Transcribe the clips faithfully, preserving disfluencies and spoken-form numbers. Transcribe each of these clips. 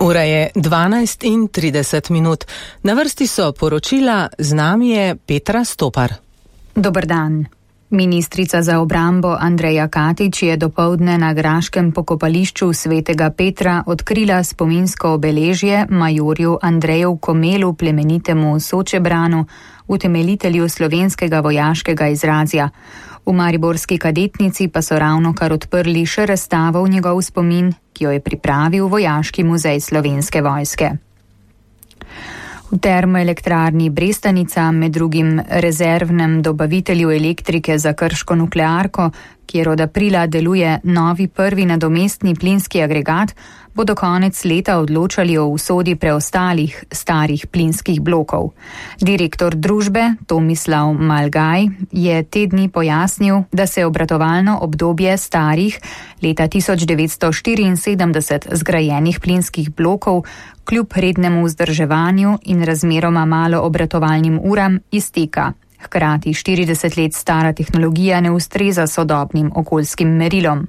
Ura je dvanajst in trideset minut. Na vrsti so poročila, z nami je Petra Stopar. Dober dan. Ministrica za obrambo Andreja Katič je dopoldne na graškem pokopališču Svetega Petra odkrila spominsko obeležje majorju Andreju Komelu, plemenitemu Sočebranu, utemeljitelju slovenskega vojaškega izrazja. V mariborski kadetnici pa so ravnokar odprli še razstavo v njegov spomin, ki jo je pripravil Vojaški muzej Slovenske vojske. V termoelektrarni Brestanica, med drugim rezervnem dobavitelju elektrike za krško nuklearko, kjer od aprila deluje novi prvi nadomestni plinski agregat, bo do konec leta odločali o usodi preostalih starih plinskih blokov. Direktor družbe Tomislav Malgaj je te dni pojasnil, da se obratovalno obdobje starih leta tisoč devetsto štiriinsedemdeset zgrajenih plinskih blokov kljub rednemu vzdrževanju in razmeroma malo obratovalnim uram izteka. Hkrati štirideset let stara tehnologija ne ustreza sodobnim okoljskim merilom.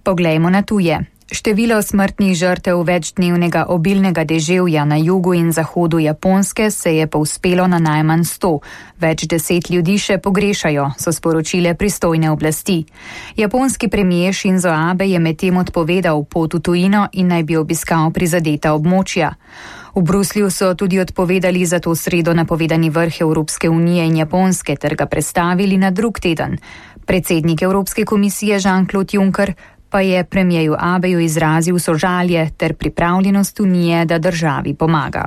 Poglejmo na tuje. Število smrtnih žrtev večdnevnega obilnega deževja na jugu in zahodu Japonske se je povzpelo na najmanj sto. Več deset ljudi še pogrešajo, so sporočile pristojne oblasti. Japonski premier Shinzo Abe je medtem odpovedal pot v tujino in naj bi obiskal prizadeta območja. V Bruslju so tudi odpovedali za to sredo napovedani vrh Evropske unije in Japonske ter ga prestavili na drug teden. Predsednik Evropske komisije Jean-Claude Juncker pa je premierju Abeju izrazil sožalje ter pripravljenost unije, da državi pomaga.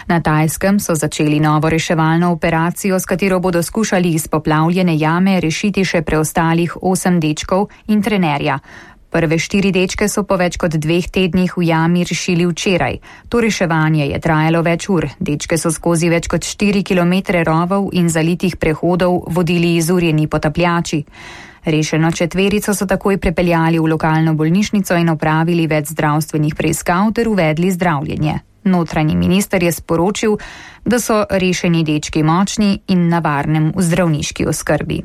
Na Tajskem so začeli novo reševalno operacijo, s katero bodo skušali iz poplavljene jame rešiti še preostalih osem dečkov in trenerja. Prve štiri dečke so po več kot dveh tednih v jami rešili včeraj. To reševanje je trajalo več ur. Dečke so skozi več kot štiri kilometre rovov in zalitih prehodov vodili izurjeni potapljači. Rešeno četverico so takoj prepeljali v lokalno bolnišnico in opravili več zdravstvenih preiskav ter uvedli zdravljenje. Notranji minister je sporočil, da so rešeni dečki močni in na varnem v zdravniški oskrbi.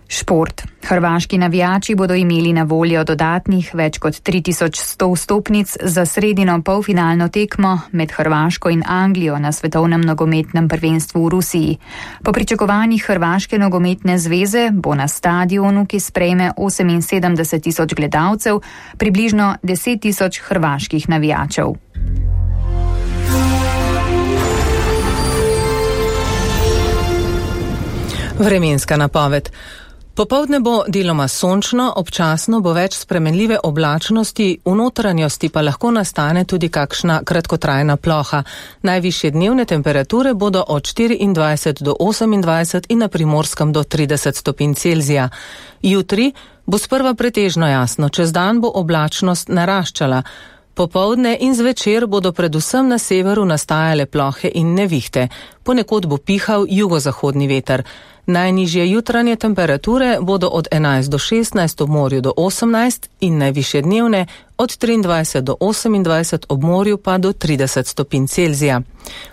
Šport. Hrvaški navijači bodo imeli na voljo dodatnih več kot tri tisoč sto vstopnic za sredino polfinalno tekmo med Hrvaško in Anglijo na svetovnem nogometnem prvenstvu v Rusiji. Po pričakovanjih Hrvaške nogometne zveze bo na stadionu, ki sprejme oseminsedemdeset tisoč gledalcev, približno deset tisoč hrvaških navijačev. Vremenska napoved. Popoldne bo deloma sončno, občasno bo več spremenljive oblačnosti, v notranjosti pa lahko nastane tudi kakšna kratkotrajna ploha. Najvišje dnevne temperature bodo od štiriindvajset do osemindvajset in na Primorskem do trideset stopinj Celzija. Jutri bo sprva pretežno jasno, čez dan bo oblačnost naraščala. Popoldne in zvečer bodo predvsem na severu nastajale plohe in nevihte. Ponekod bo pihal jugozahodni veter. Najnižje jutranje temperature bodo od enajst do šestnajst ob morju do osemnajst in najvišje dnevne od triindvajset do osemindvajset ob morju pa do trideset stopinj Celzija.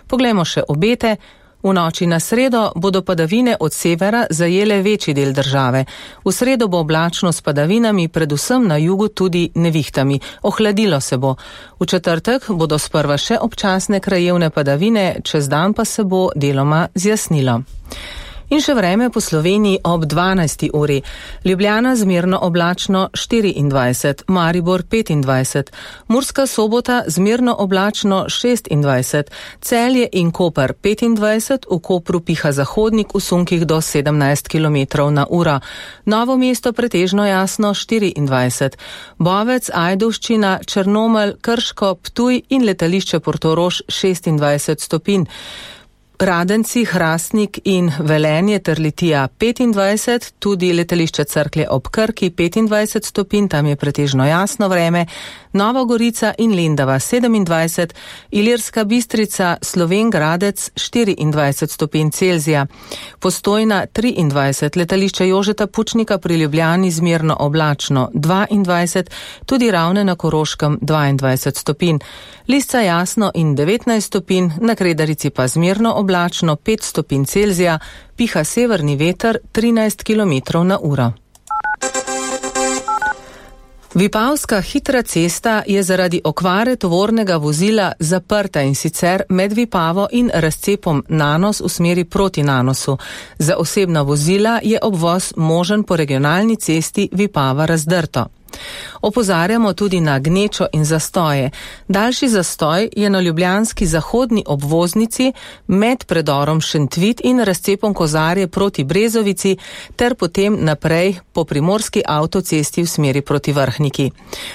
Poglejmo še obete. V noči na sredo bodo padavine od severa zajele večji del države. V sredo bo oblačno s padavinami, predvsem na jugu tudi nevihtami. Ohladilo se bo. V četrtek bodo sprva še občasne krajevne padavine, čez dan pa se bo deloma zjasnilo. In še vreme po Sloveniji ob dvanajsti uri. Ljubljana zmerno oblačno štiriindvajset, Maribor petindvajset, Murska Sobota zmerno oblačno šestindvajset, Celje in Koper petindvajset, v Kopru piha zahodnik v sunkih do sedemnajst kilometrov na uro, Novo mesto pretežno jasno štiriindvajset, Bovec, Ajdovščina, Črnomelj, Krško, Ptuj in letališče Portorož šestindvajset stopinj. Radenci, Hrastnik in Velenje ter Litija petindvajset, tudi letališče Cerklje ob Krki petindvajset stopinj, tam je pretežno jasno vreme, Nova Gorica in Lendava sedemindvajset, Ilirska Bistrica, Slovenj Gradec štiriindvajset stopinj Celzija, Postojna triindvajset, letališče Jožeta Pučnika pri Ljubljani zmerno oblačno dvaindvajset, tudi Ravne na Koroškem dvaindvajset stopinj, Lisca jasno in devetnajst stopinj, na Kredarici pa zmerno oblačno pet stopinj Celzija, piha severni veter trinajst kilometrov na uro. Vipavska hitra cesta je zaradi okvare tovornega vozila zaprta in sicer med Vipavo in razcepom Nanos v smeri proti Nanosu. Za osebna vozila je obvoz možen po regionalni cesti Vipava-Razdrto. Opozarjamo tudi na gnečo in zastoje. Daljši zastoj je na ljubljanski zahodni obvoznici med predorom Šentvit in razcepom Kozarje proti Brezovici ter potem naprej po primorski avtocesti v smeri proti Vrhniki.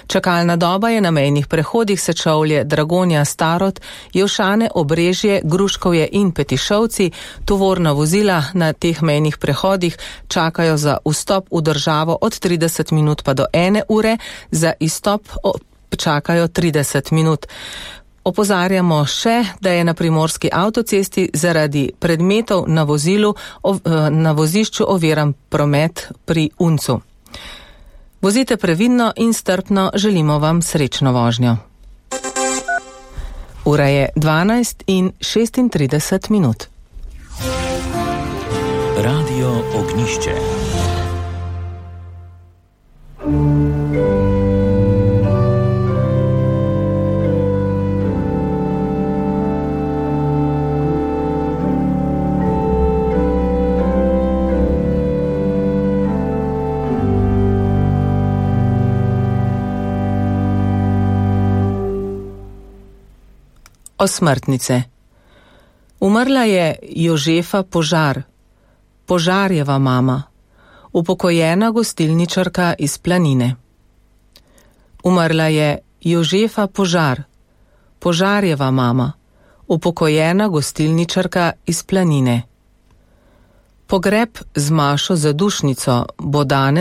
Čakalna doba je na mejnih prehodih Sečovlje, Dragonja, Starod, Jevšane, Obrežje, Gruškovje in Petišovci. Tovorna vozila na teh mejnih prehodih čakajo za vstop v državo od trideset minut pa do ene ure, za izstop čakajo trideset minut. Opozarjamo še, da je na primorski avtocesti zaradi predmetov na vozilu na vozišču oviran promet pri Uncu. Vozite previdno in strpno, želimo vam srečno vožnjo. Ura je dvanajst in šestintrideset minut. Radio Ognišče. Osmrtnice. Umrla je Jožefa Požar, Požarjeva mama, upokojena gostilničarka iz Planine. Umrla je Jožefa Požar, Požarjeva mama, upokojena gostilničarka iz Planine. Pogreb z Mašo Zadušnico bo danes